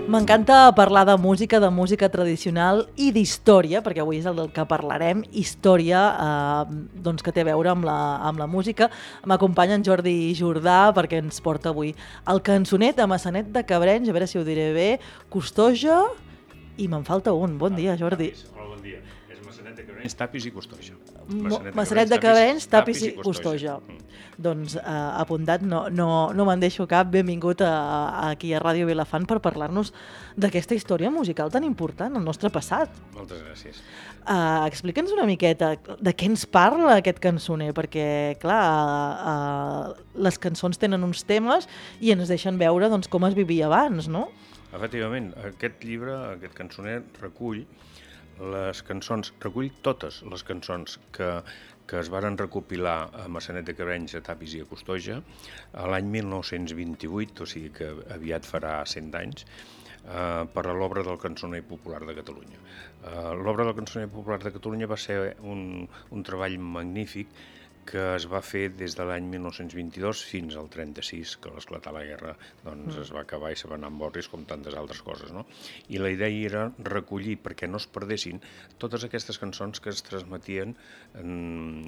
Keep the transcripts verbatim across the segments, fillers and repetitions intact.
M'encanta parlar de música, de música tradicional i d'història, perquè avui és el del que parlarem, història eh, doncs que té a veure amb la, amb la música. M'acompanya en Jordi Jordà perquè ens porta avui el cançoner de Maçanet de Cabrenys, a veure si ho diré bé, Costoja, i me'n falta un. Bon dia, Jordi. Hola, bon dia. És Maçanet de Cabrenys, Tapis i Costoja. Maçanet, Maçanet de Cabrenys, Tapis i Costoja. Mm. Doncs eh, apuntat, no, no, no me'n deixo cap. Benvingut a, a, aquí a Ràdio Vilafant per parlar-nos d'aquesta història musical tan important, el nostre passat. Moltes gràcies. Uh, Explica'ns una miqueta de què ens parla aquest cançoner, perquè, clar, uh, uh, les cançons tenen uns temes i ens deixen veure doncs, com es vivia abans, no? Efectivament, aquest llibre, aquest cançoner, recull les cançons, recull totes les cançons que, que es varen recopilar a Maçanet de Cabrenys, a Tapis i a Costoja a l'any mil nou-cents vint-i-vuit, o sigui que aviat farà cent anys, eh, per a l'obra del Cançoner Popular de Catalunya. Eh, l'obra del Cançoner Popular de Catalunya va ser un, un treball magnífic que es va fer des de l'any mil nou-cents vint-i-dos fins al trenta-sis, que a l'esclatar la guerra doncs, mm. es va acabar i se va anar amb orris com tantes altres coses, no? I la idea era recollir, perquè no es perdessin, totes aquestes cançons que es transmetien en,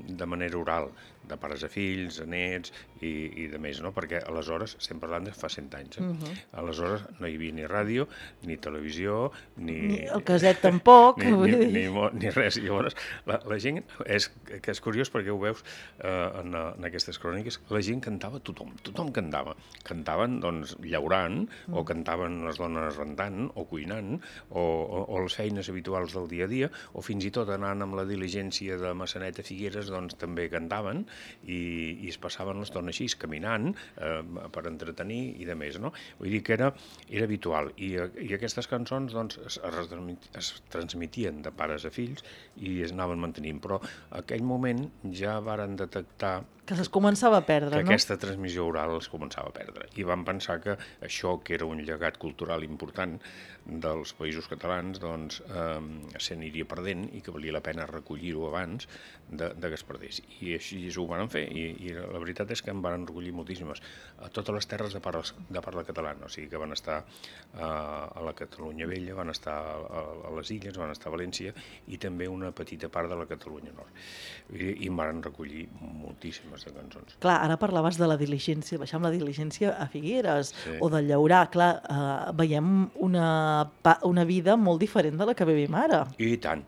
de manera oral, de pares a fills, a nets i, i de més, no? Perquè aleshores, estem parlant de fa cent anys, eh? Mm-hmm. Aleshores no hi havia ni ràdio, ni televisió, ni... Ni el caset tampoc. ni, ni, ni, ni, ni res. I llavors, la, la gent, és, que és curiós perquè ho veus, Uh, en, en aquestes cròniques, la gent cantava, tothom, tothom cantava. Cantaven, doncs, llaurant, mm. o cantaven les dones rentant, o cuinant, o, o, o les feines habituals del dia a dia, o fins i tot anant amb la diligència de Maçanet a Figueres, doncs també cantaven, i, i es passaven l'estona així, caminant, eh, per entretenir i de més, no? Vull dir que era, era habitual, i, i aquestes cançons, doncs, es, es, es transmitien de pares a fills i es anaven mantenint, però en aquell moment ja varen detectar que es començava a perdre, que no? aquesta transmissió oral es començava a perdre. I van pensar que això, que era un llegat cultural important dels països catalans, doncs eh, se n'aniria perdent i que valia la pena recollir-ho abans de, de que es perdés. I així ho van fer, i, i la veritat és que en van recollir moltíssimes a totes les terres de parla, de parla catalana, o sigui que van estar eh, a la Catalunya Vella, van estar a, a les Illes, van estar a València i també una petita part de la Catalunya Nord. I, i en van recollir moltíssimes de cançons. Clar, ara parlaves de la diligència, baixar amb la diligència a Figueres, sí. o del llaurar. Clar, eh, veiem una, una vida molt diferent de la que vivim ara. I tant.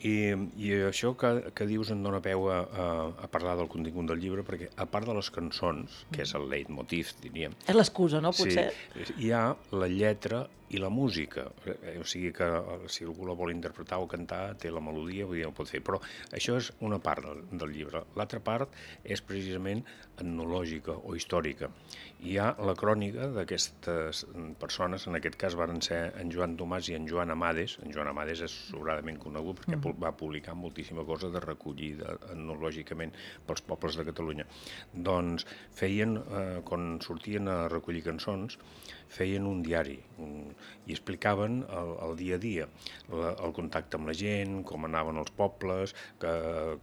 I, i això que, que dius em dóna peu a, a, a parlar del contingut del llibre, perquè a part de les cançons, que és el leitmotiv, diríem... És l'excusa, no, potser? Sí, hi ha la lletra i la música, o sigui que si algú la vol interpretar o cantar té la melodia, vull dir, ho pot fer, però això és una part del, del llibre. L'altra part és precisament etnològica o històrica. Hi ha la crònica d'aquestes persones, en aquest cas varen ser en Joan Tomàs i en Joan Amades. En Joan Amades és sobradament conegut perquè mm. va publicar moltíssima cosa de recollir de, etnològicament pels pobles de Catalunya. Doncs feien, eh, quan sortien a recollir cançons, feien un diari un, i explicaven el, el dia a dia, la, el contacte amb la gent, com anaven els pobles, que,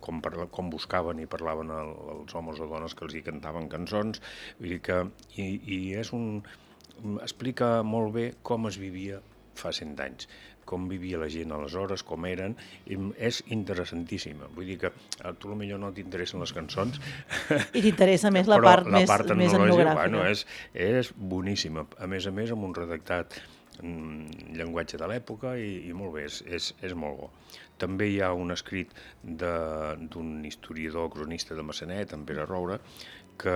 com, parla, com buscaven i parlaven el, els homes o dones que els hi cantaven cançons. Vull dir que i, i és un, explica molt bé com es vivia fa cent anys, com vivia la gent aleshores, com eren, i és interessantíssima. Vull dir que a tu potser no t'interessen les cançons. I t'interessa més la part, la més, part més etnogràfica. Bueno, és, és boníssima. A més a més, amb un redactat en llenguatge de l'època i, i molt bé, és, és, és molt bo. També hi ha un escrit d'un historiador cronista de Maçanet, en Pere Roure, que,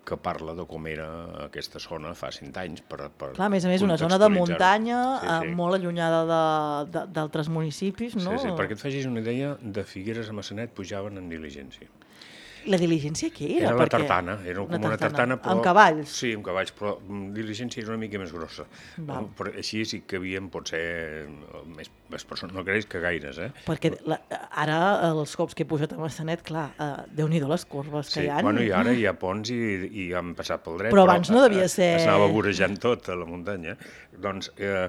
que parla de com era aquesta zona fa cent anys. Per, per Clar, a més a més, una zona de muntanya, sí, sí. Eh, molt allunyada d'altres municipis, no? Sí, sí, perquè et facis una idea, de Figueres a Maçanet pujaven en diligència. La diligència què era? Era la perquè... tartana, era com una, una tartana, però... Amb cavalls? Sí, amb cavalls, però diligència era una mica més grossa. Val. Però així sí que havien, potser, més, més persones, no creus que gaires, eh? Perquè la, ara, els cops que he pujat a Maçanet, clar, eh, Déu-n'hi-do les corbes que sí, hi ha. Bueno, i ara hi ha ponts i, i han passat pel dret, però abans però, no devia ser... Es anava vorejant tot a la muntanya. Doncs eh,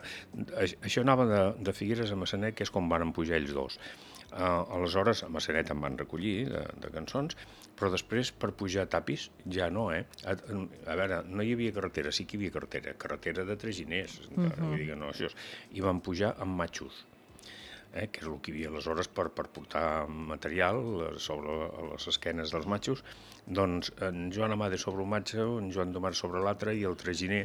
això anava de, de Figueres a Maçanet, que és com van pujar ells dos. Uh, aleshores, a Massanet em van recollir de, de cançons, però després per pujar a Tapis ja no, eh? A, a veure, no hi havia carretera, sí que hi havia carretera, carretera de traginers, uh-huh. vull dir que no, això és, i van pujar amb matxos, eh? Que és el que hi havia aleshores per, per portar material sobre les esquenes dels matxos. Doncs en Joan Amade sobre un matxo, en Joan Domar sobre l'altre i el traginer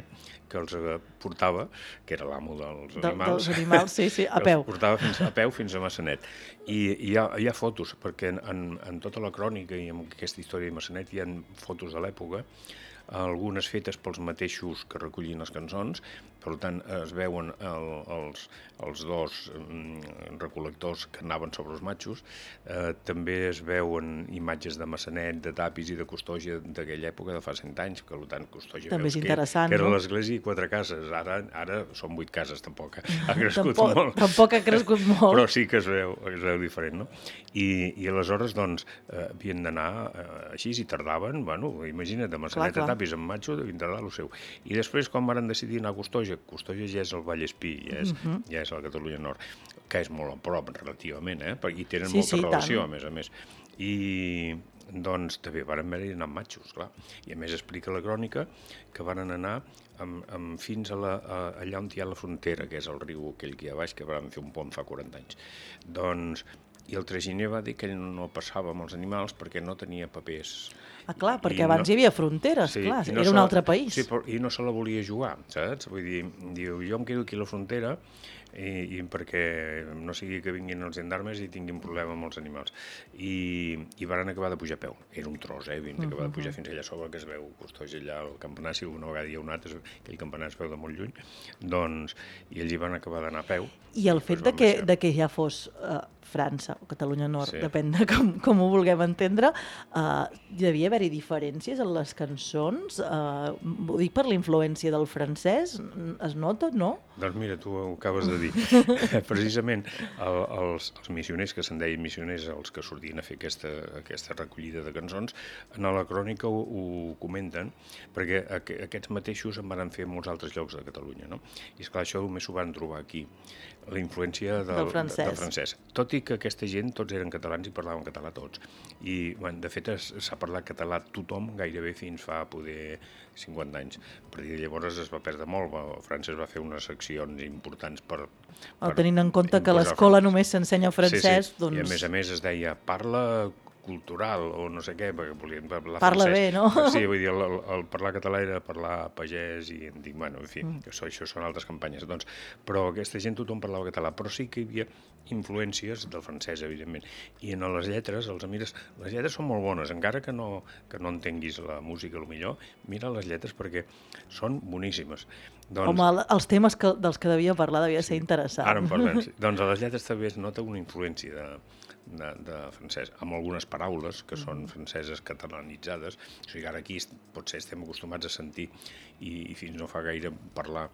que els portava, que era l'amo dels de, animals, dels animals, sí, sí, a peu. Els portava fins, a peu fins a Massanet. I, i hi, ha, hi ha fotos, perquè en, en, en tota la crònica i en aquesta història de Massanet hi ha fotos de l'època, algunes fetes pels mateixos que recollien les cançons, per tant es veuen el, els, els dos mm, recol·lectors que anaven sobre els matxos, eh, també es veuen imatges de Massanet, de Tapis i de Custògia d'aquella època de fa cent anys, que per tant Custògia també veus és interessant, que, que era no? l'església i quatre cases, ara, ara són vuit cases, tampoc ha crescut tampoc, molt. Tampoc ha crescut molt. Però sí que es veu, es veu diferent, no? I, i aleshores, doncs, eh, havien d'anar eh, així i tardaven, bueno, imagina't, de Massanet clar, a Tapis amb matxo, devien tardar el seu. I després, quan van decidir anar a Custògia, Custògia ja és el Vallespí, ja és, uh-huh. ja és la Catalunya Nord, que és molt a prop, relativament, eh? Perquè hi tenen sí, molta sí, relació, tant. a més a més. I, doncs, també van haver-hi anar amb matxos, clar. I a més explica la crònica que van anar amb, amb fins a la, a, allà on hi ha la frontera, que és el riu aquell que hi ha baix, que van fer un pont fa quaranta anys. Doncs, i el traginer va dir que ell no passava amb els animals perquè no tenia papers. Ah, clar, I, perquè i abans no, hi havia fronteres, sí, clar, no era un altre país. Sí, però, i no se la volia jugar, saps? Vull dir, diu, jo em quedo aquí a la frontera i, i perquè no sigui que vinguin els gendarmes i tinguin problema amb els animals. I, i van acabar de pujar a peu. Era un tros, eh? Havien d'acabar de pujar fins allà sobre, que es veu Custògia allà al campanar, si alguna vegada hi ha un altre, aquell campanar es veu de molt lluny, doncs, i ells hi van acabar d'anar a peu. I el fet de que, de que ja fos uh, França o Catalunya Nord, sí. Depèn de com, com ho vulguem entendre, uh, hi devia haver-hi diferències en les cançons? Uh, ho dic per la influència del francès, es nota, no? Doncs mira, tu ho acabes de dir. Precisament el, els, els missioners, que se'n deien missioners, els que sortien a fer aquesta, aquesta recollida de cançons, en la crònica ho, ho comenten, perquè aqu aquests mateixos en van fer en molts altres llocs de Catalunya, no? I esclar, això només s'ho van trobar aquí, la influència del, del, francès. del francès. Tot i que aquesta gent tots eren catalans i parlaven català tots. I, bueno, de fet, s'ha parlat català tothom gairebé fins fa poder cinquanta anys. A partir de llavors es va perdre molt. França es va fer unes seccions importants per... per tenint en compte que a l'escola només s'ensenya francès, sí, sí. Doncs... I a més a més es deia, parla cultural o no sé què, perquè volien parlar Parla francès. bé, no? Sí, vull dir, el, el parlar català era parlar pagès i dic, bueno, en fi, mm. això, això són altres campanyes. Doncs, però aquesta gent tothom parlava català, però sí que hi havia influències del francès, evidentment. I en les lletres, els mires, les lletres són molt bones, encara que no, que no entenguis la música, millor, mira les lletres perquè són boníssimes. Doncs... Home, els temes que, dels que devia parlar devia sí, ser interessant. Ara en parlem, sí. Doncs a les lletres també es nota una influència de, de, de francès, amb algunes paraules que són franceses catalanitzades. O sigui, ara aquí potser estem acostumats a sentir i, i fins no fa gaire parlar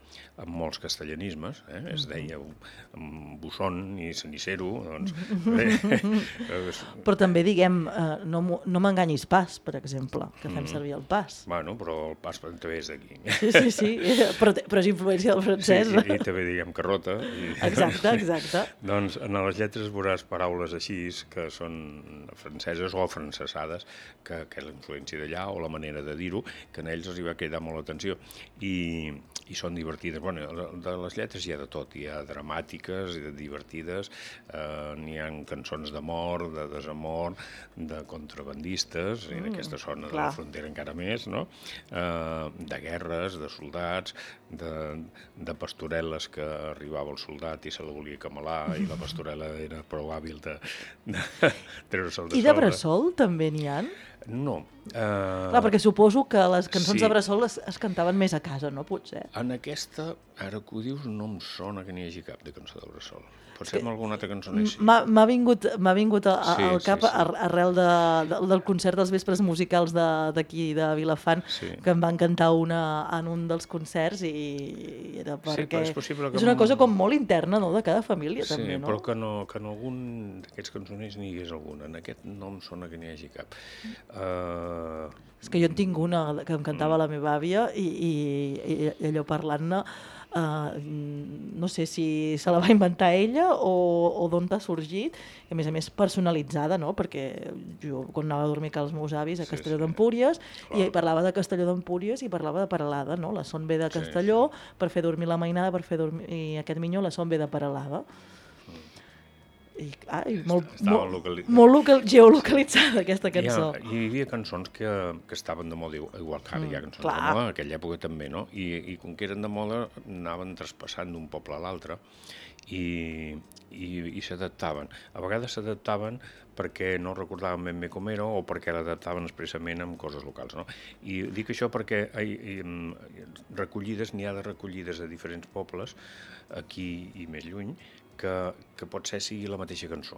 amb molts castellanismes, eh? Es deia amb Busson i Cenicero, doncs... Però també diguem, eh, no, no m'enganyis pas, per exemple, que fem servir el pas. Bueno, però el pas també és d'aquí. Sí, sí, sí, però, però és influència del francès. Sí, i, i també diguem carrota. I... Exacte, exacte. Doncs en les lletres veuràs paraules així que són franceses o francesades, que, que és la influència d'allà o la manera de dir-ho, que en ells els hi va cridar molt l'atenció. I, i són divertides. Bueno, de les lletres hi ha de tot, hi ha dramàtiques, hi ha divertides, eh, n'hi ha cançons d'amor, de desamor, de contrabandistes, mm, i en aquesta zona clar. De la frontera encara més, no? Eh, de guerres, de soldats, de, de pastorel·les que arribava el soldat i se la volia camelar i la pastorel·la era prou hàbil de, de treure-se'l de sobre. I de bressol també n'hi ha? No. Uh... Clar, perquè suposo que les cançons sí. de bressol es, es cantaven més a casa, no? Potser. En aquesta, ara que ho dius, no em sona que n'hi hagi cap de cançó de bressol. Potser amb alguna altra cançó n'hi M'ha vingut, vingut a, a, sí, al cap sí, sí. arrel de, de, del concert dels vespres musicals d'aquí, de, de Vilafant, sí. que em van cantar una en un dels concerts i era perquè... Sí, és possible que... És una cosa com molt interna, no?, de cada família, sí, també, no? Sí, però que, no, que en algun d'aquests cançoners n'hi hagués alguna. En aquest no em sona que n'hi hagi cap. Uh... És que jo en tinc una que em cantava mm. la meva àvia i, i, i allò parlant-ne, uh, no sé si se la va inventar ella o, o d'on t'ha sorgit, i a més a més personalitzada, no? Perquè jo quan anava a dormir amb els meus avis a sí, Castelló sí. d'Empúries, i parlava de Castelló d'Empúries i parlava de Peralada, no? La Son ve de Castelló sí, sí. per fer dormir la mainada, per fer dormir i aquest minyó, la Son ve de Peralada. I, ai, molt, molt, locali... molt local, geolocalitzada aquesta cançó. Hi, ha, hi havia cançons que, que estaven de moda, igual que ara mm, hi ha cançons clar. de moda, en aquella època també, no? I, i com que eren de moda anaven traspassant d'un poble a l'altre i, i, i s'adaptaven. A vegades s'adaptaven perquè no recordaven ben bé com era o perquè l'adaptaven expressament amb coses locals, no? I dic això perquè hi, hi, recollides, n'hi ha de recollides de diferents pobles, aquí i més lluny, que, que potser sigui la mateixa cançó,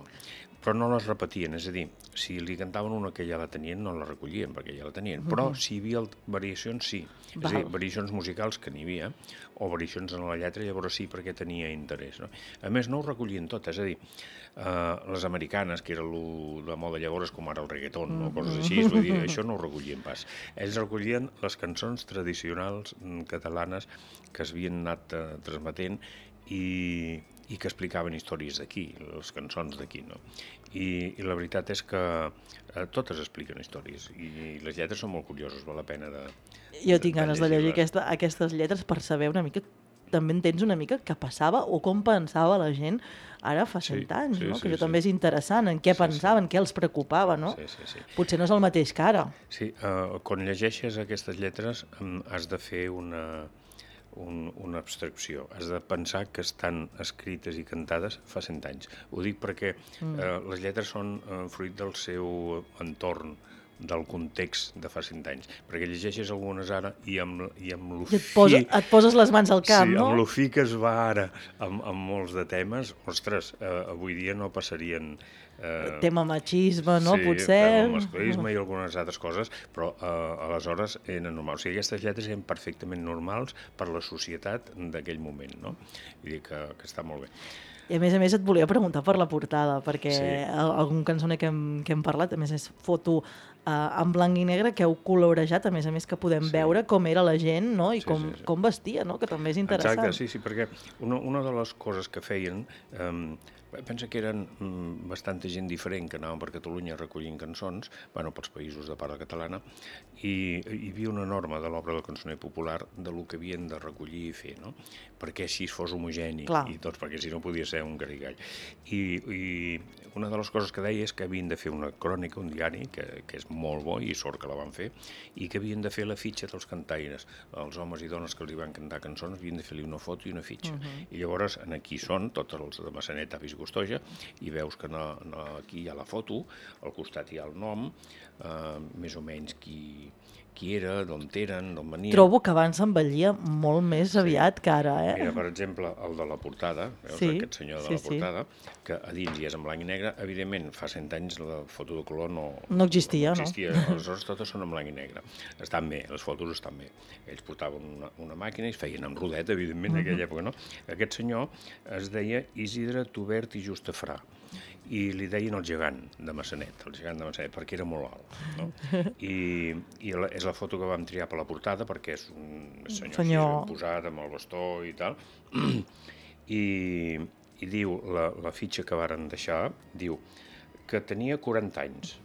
però no les repetien, és a dir, si li cantaven una que ja la tenien, no la recollien, perquè ja la tenien, però si hi havia variacions, sí, és a dir, variacions musicals que n'hi havia, o variacions en la lletra, llavors sí, perquè tenia interès, no? A més, no ho recollien tot, és a dir, uh, les americanes, que era lo de moda llavors, com ara el reggaeton, o coses així, vull dir, això no ho recollien pas. Ells recollien les cançons tradicionals catalanes que s'havien anat uh, transmetent i i que explicaven històries d'aquí, les cançons d'aquí, no? I, I la veritat és que eh, totes expliquen històries i les lletres són molt curioses, val la pena de... Jo tinc de ganes de llegir aquesta, aquestes lletres per saber una mica, també entens una mica què passava o com pensava la gent ara fa cent sí, anys, sí, no? Sí, que això sí. també és interessant, en què sí, pensaven, sí. què els preocupava, no? Sí, sí, sí. Potser no és el mateix que ara. Sí, uh, quan llegeixes aquestes lletres um, has de fer una... Un, una abstracció. Has de pensar que estan escrites i cantades fa cent anys. Ho dic perquè mm. eh, les lletres són eh, fruit del seu entorn, del context de fa cent anys. Perquè llegeixes algunes ara i amb, i amb lo fi... Et, posa, et poses les mans al cap, sí, no? Sí, amb lo fi que es va ara amb, amb molts de temes, ostres, eh, avui dia no passarien... Eh, tema machisme, no? Sí, potser... tema masclisme i algunes altres coses, però eh, aleshores eren normals. O sigui, aquestes lletres eren perfectament normals per la societat d'aquell moment, no? Vull dir que, que està molt bé. I a més a més et volia preguntar per la portada, perquè sí. algun cançoner que hem, que hem parlat, a més és foto eh, en blanc i negre que heu colorejat, a més a més que podem sí. veure com era la gent, no? I sí, com, sí, sí. com vestia, no? Que també és interessant. Exacte, sí, sí, perquè una, una de les coses que feien... Eh, pensa que eren mm, bastanta gent diferent que anaven per Catalunya recollint cançons, bueno, pels països de parla catalana, i hi havia una norma de l'obra del cançoner popular de lo que havien de recollir i fer, no? Perquè així fos homogeni, Clar. i tots, perquè si no podia ser un garigall. I, I una de les coses que deia és que havien de fer una crònica, un diari, que, que és molt bo, i sort que la van fer, i que havien de fer la fitxa dels cantaires. Els homes i dones que els hi van cantar cançons havien de fer-li una foto i una fitxa. Uh-huh. I llavors, en aquí són, tots els de Massanet, avis Gustoja, i veus que no, no, aquí hi ha la foto, al costat hi ha el nom, eh, més o menys qui, qui era, d'on eren, d'on venien... Trobo que abans s'envellia molt més sí. aviat que ara, eh? Mira, per exemple, el de la portada, veus, sí. aquest senyor de sí, la portada, sí. que a dins hi és en blanc i negre, evidentment, fa cent anys la foto de color no... No existia, no? existia. no? Aleshores totes són en blanc i negre. Estan bé, les fotos estan bé. Ells portaven una, una màquina i es feien amb rodet, evidentment, en aquella època, no? Aquest senyor es deia Isidre Tubert i Justafrà, i li deien el gegant de Massanet, el gegant de Massanet, perquè era molt alt, no? I, i la, és la foto que vam triar per la portada, perquè és un senyor, senyor. Així, posat amb el bastó i tal, i, i diu, la, la fitxa que varen deixar, diu que tenia quaranta anys,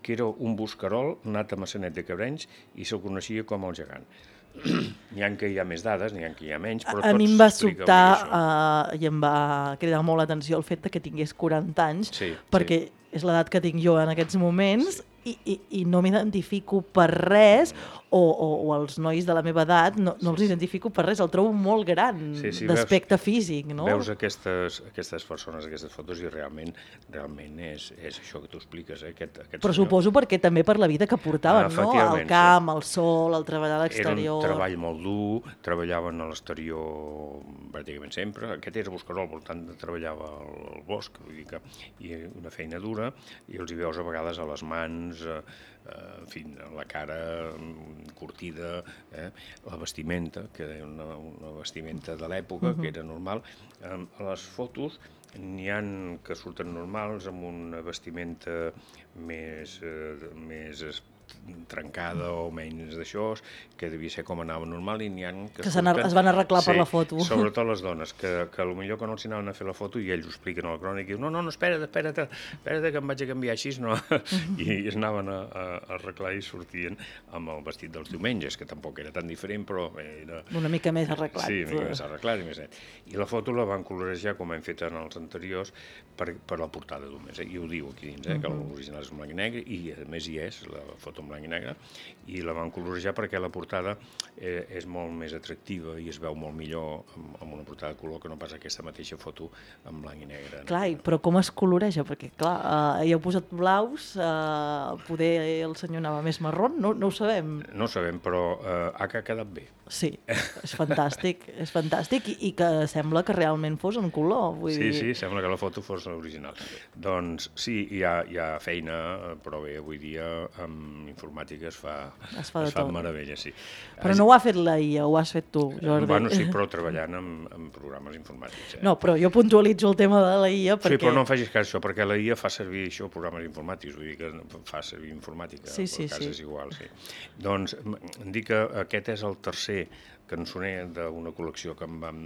que era un buscarol nat a Massanet de Cabrenys i se'l coneixia com el gegant. N'hi ha que hi ha més dades, n'hi ha que hi ha menys, però a tots mi em va sobtar uh, i em va cridar molt l'atenció el fet que tingués quaranta anys, sí, perquè sí. és l'edat que tinc jo en aquests moments, sí. i, i, i no m'identifico per res, o, o, o els nois de la meva edat, no, no els identifico per res, el trobo molt gran sí, sí, d'aspecte físic, no? Veus aquestes, aquestes persones, aquestes fotos, i realment realment és, és això que tu expliques, eh? aquest, aquest Però senyor. Suposo perquè també per la vida que portaven, ah, no? El camp, sí. el sol, el treballar a l'exterior... Era un treball molt dur, treballaven a l'exterior pràcticament sempre, aquest era buscarol, per tant treballava al bosc, vull dir que i una feina dura, i els hi veus a vegades a les mans doncs, eh, en fi, la cara curtida, eh? La vestimenta, que era una, una vestimenta de l'època, uh-huh. que era normal. Eh, a les fotos n'hi ha que surten normals, amb una vestimenta més, eh, més trencada o menys d'això, que devia ser com anava normal, i n'hi ha que, que surten... es van arreglar sí, per la foto. Sobretot les dones, que, que potser quan els anaven a fer la foto i ells ho expliquen a la crònica i diuen, no, no, no, espera't, espera't, espera't que em vaig a canviar així, no? I es anaven a, a, a arreglar i sortien amb el vestit dels diumenges, que tampoc era tan diferent, però era... Una mica més arreglat. Sí, una mica més arreglat i més net. I la foto la van colorejar, com hem fet en els anteriors, per, per la portada només, eh? I ho diu aquí dins, eh? Uh-huh. Que l'original és en blanc i negre, i a més hi és la foto en blanc i negre, i la van colorejar perquè la portada eh, és molt més atractiva i es veu molt millor amb, amb una portada de color que no pas aquesta mateixa foto en blanc i negre. Clar, no? Però com es coloreja? Perquè, clar, eh, hi heu posat blaus, eh, poder el senyor anava més marró, no, no ho sabem. No ho sabem, però eh, ha quedat bé. Sí, és fantàstic, és fantàstic, i, i que sembla que realment fos en color. Vull sí, dir... sí, sembla que la foto fos l'original. Doncs sí, hi ha, hi ha feina, però bé, avui dia amb informàtica es fa, es fa, es fa meravella, sí. Però no ho ha fet la I A, ho has fet tu, Jordi. Bueno, sí, però treballant amb, amb programes informàtics. Eh? No, però jo puntualitzo el tema de la I A perquè... Sí, però no em facis cas això, perquè la I A fa servir això, programes informàtics, vull dir que fa servir informàtica, sí, sí, el cas sí. és igual, sí. Doncs em dic que aquest és el tercer cançoner d'una col·lecció que em vam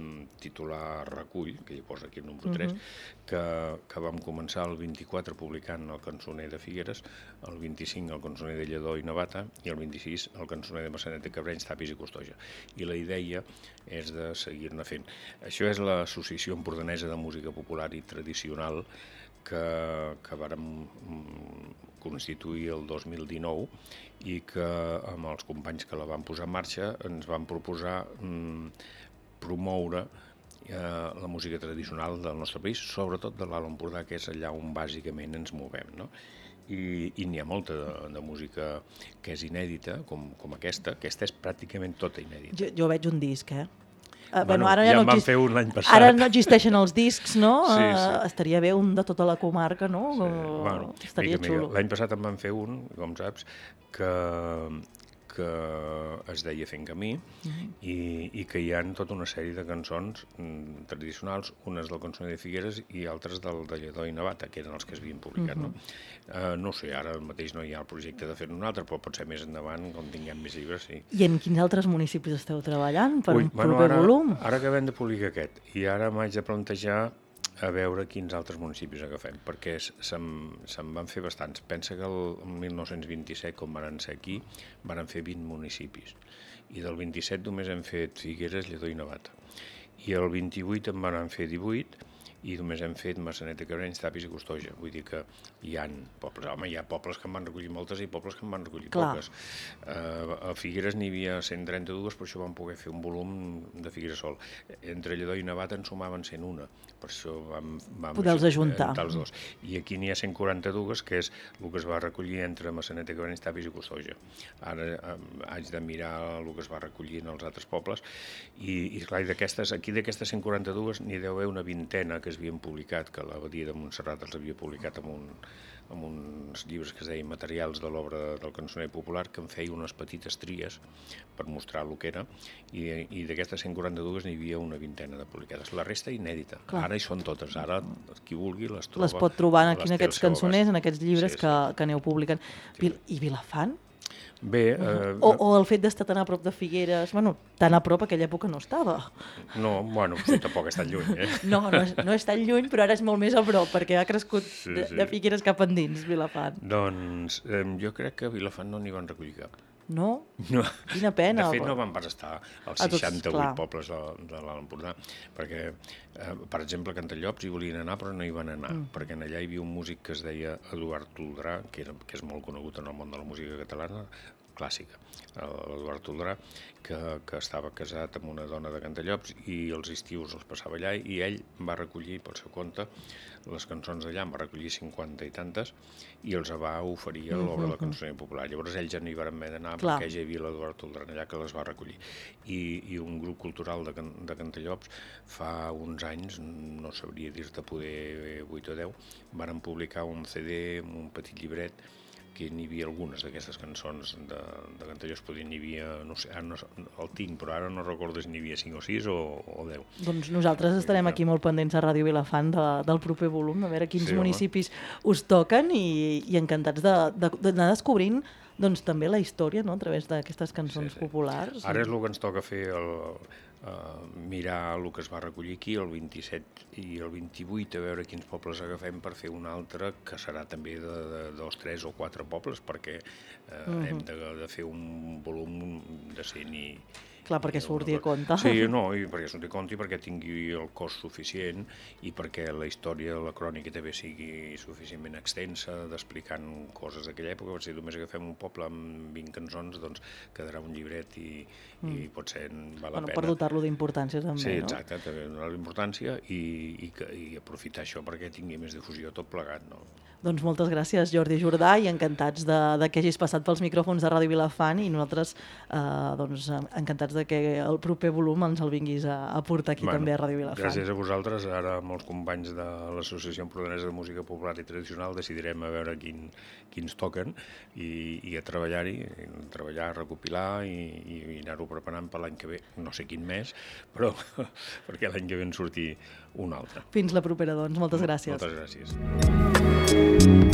titular Recull, que hi posa aquí el número tres, uh-huh. que, que vam començar el vint-i-quatre publicant el cançoner de Figueres, el vint-i-cinc el cançoner de Lledó i Navata i el vint-i-sis el cançoner de Maçanet de Cabrenys, Tapis i Costoja. I la idea és de seguir-ne fent. Això és l'Associació Empordanesa de Música Popular i Tradicional que, que vàrem constituir el dos mil dinou i que amb els companys que la van posar en marxa ens van proposar mm, promoure eh, la música tradicional del nostre país, sobretot de l'Alt Empordà, que és allà on bàsicament ens movem, no? I, i n'hi ha molta de, de música que és inèdita, com, com aquesta. Aquesta és pràcticament tota inèdita. Jo, jo veig un disc, eh? Uh, bueno, bueno, ara ja, ja no en van exist... fer un l'any passat. Ara no existeixen els discs, no? Sí, sí. Uh, estaria bé un de tota la comarca, no? Sí. Bueno, estaria mica, xulo. Mica. L'any passat en van fer un, com saps, que, que es deia Fent Camí, uh-huh. i, i que hi ha tota una sèrie de cançons mm, tradicionals, unes del cançoner de Figueres i altres del de Lledó i Navata, que eren els que es havien publicat. Uh-huh. no? Uh, no sé, ara mateix no hi ha el projecte de fer-ne un altre, però potser més endavant, quan tinguem més llibres, sí. I en quins altres municipis esteu treballant per Ui, un bueno, proper ara, volum? Ara acabem de publicar aquest, i ara m'haig de plantejar a veure quins altres municipis agafem, perquè se'n se van fer bastants. Pensa que el mil nou-cents vint-i-set, com van ser aquí, van fer vint municipis, i del vint-i-set només hem fet Figueres, Lledó i Navata. I el vint-i-vuit en van fer divuit, i només hem fet Maçanet de Cabrenys, Tapis i Costoja. Vull dir que hi ha pobles. Home, hi ha pobles que en van recollir moltes i pobles que en van recollir Clar. poques. Uh, a Figueres n'hi havia cent trenta-dues, per això vam poder fer un volum de Figueres sol. Entre Lledó i Navata en sumaven cent una, per això vam, vam poder-los ajuntar. Els dos. I aquí n'hi ha cent quaranta-dues, que és el que es va recollir entre Maçanet de Cabrenys, Tapis i Costoja. Ara um, haig de mirar el que es va recollir en els altres pobles, i, i clar, d'aquestes, aquí d'aquestes cent quaranta-dues n'hi deu haver una vintena que havien publicat, que l'Abadia de Montserrat els havia publicat amb, un, amb uns llibres que es deien Materials de l'obra del cançoner popular, que en feia unes petites tries per mostrar el que era, i, i d'aquestes cent quaranta-dues n'hi havia una vintena de publicades. La resta inèdita. Clar. Ara hi són totes. Ara qui vulgui les troba. Les pot trobar aquí en aquests cançoners, en aquests llibres sí, que, sí. que aneu publicant. Sí. I Vilafant? Bé... Eh, o, o el fet d'estar tan a prop de Figueres, bueno, tan a prop aquella època no estava. No, bueno, sí, tampoc és tan lluny, eh? No, no és, no és tan lluny, però ara és molt més a prop, perquè ha crescut sí, de, sí. de Figueres cap endins, Vilafant. Doncs eh, jo crec que a Vilafant no n'hi van recollir cap. No? No. Quina pena. De fet, no van pas estar als seixanta-vuit pobles de, de l'Alt Empordà, perquè, eh, per exemple, a Cantallops hi volien anar, però no hi van anar, mm. perquè allà hi havia un músic que es deia Eduard Toldrà, que, era, que és molt conegut en el món de la música catalana, clàssica, l'Eduard Toldrà, que, que estava casat amb una dona de Cantallops i els estius els passava allà, i ell va recollir pel seu compte les cançons d'allà, en va recollir cinquanta i tantes, i els va oferir a l'obra del cançoner popular. Llavors ells ja no hi van haver d'anar, perquè ja hi havia l'Eduard Toldrà allà que les va recollir. I, i un grup cultural de, Can, de Cantallops fa uns anys, no sabria dir-te poder vuit o deu, van publicar un C D, un petit llibret, que n'hi havia algunes d'aquestes cançons de, de Cantallops, podien n'hi havia, no sé, ara no, el tinc, però ara no recordo si n'hi havia cinc o sis o, o deu. Doncs nosaltres estarem aquí molt pendents a Ràdio Vilafant de, del proper volum, a veure quins sí, municipis home. us toquen i, i encantats d'anar de, de, descobrint doncs, també la història, no?, a través d'aquestes cançons sí, sí. populars. Ara és el que ens toca fer, el, uh, mirar el que es va recollir aquí, el vint-i-set i el vint-i-vuit, a veure quins pobles agafem per fer un altre, que serà també de, de dos, tres o quatre pobles, perquè uh, uh-huh. hem de, de fer un volum de cent i... Clar, perquè surti a compte. Sí, no, i perquè surti a compte i perquè tingui el cost suficient i perquè la història, la crònica també sigui suficientment extensa, d'explicant coses d'aquella època. Si només agafem un poble amb vint cançons, doncs quedarà un llibret i, mm. i potser val la bueno, pena. Per dotar-lo d'importància també, sí, no? Sí, exacte, també donar l'importància i, i, i aprofitar això perquè tingui més difusió tot plegat, no? Doncs moltes gràcies, Jordi Jordà, i encantats de, de que hagis passat pels micròfons de Ràdio Vilafant i nosaltres eh, doncs, encantats de que el proper volum ens el vinguis a, a portar aquí bueno, també a Ràdio Vilafant. Gràcies a vosaltres. Ara amb els companys de l'Associació Empordanesa de Música Popular i Tradicional decidirem a veure quin, quins toquen i, i a treballar-hi, treballar, recopilar i, i, i anar-ho preparant per l'any que ve. No sé quin mes, però perquè l'any que ve en surti un altre. Fins la propera, doncs. Moltes gràcies. Moltes gràcies.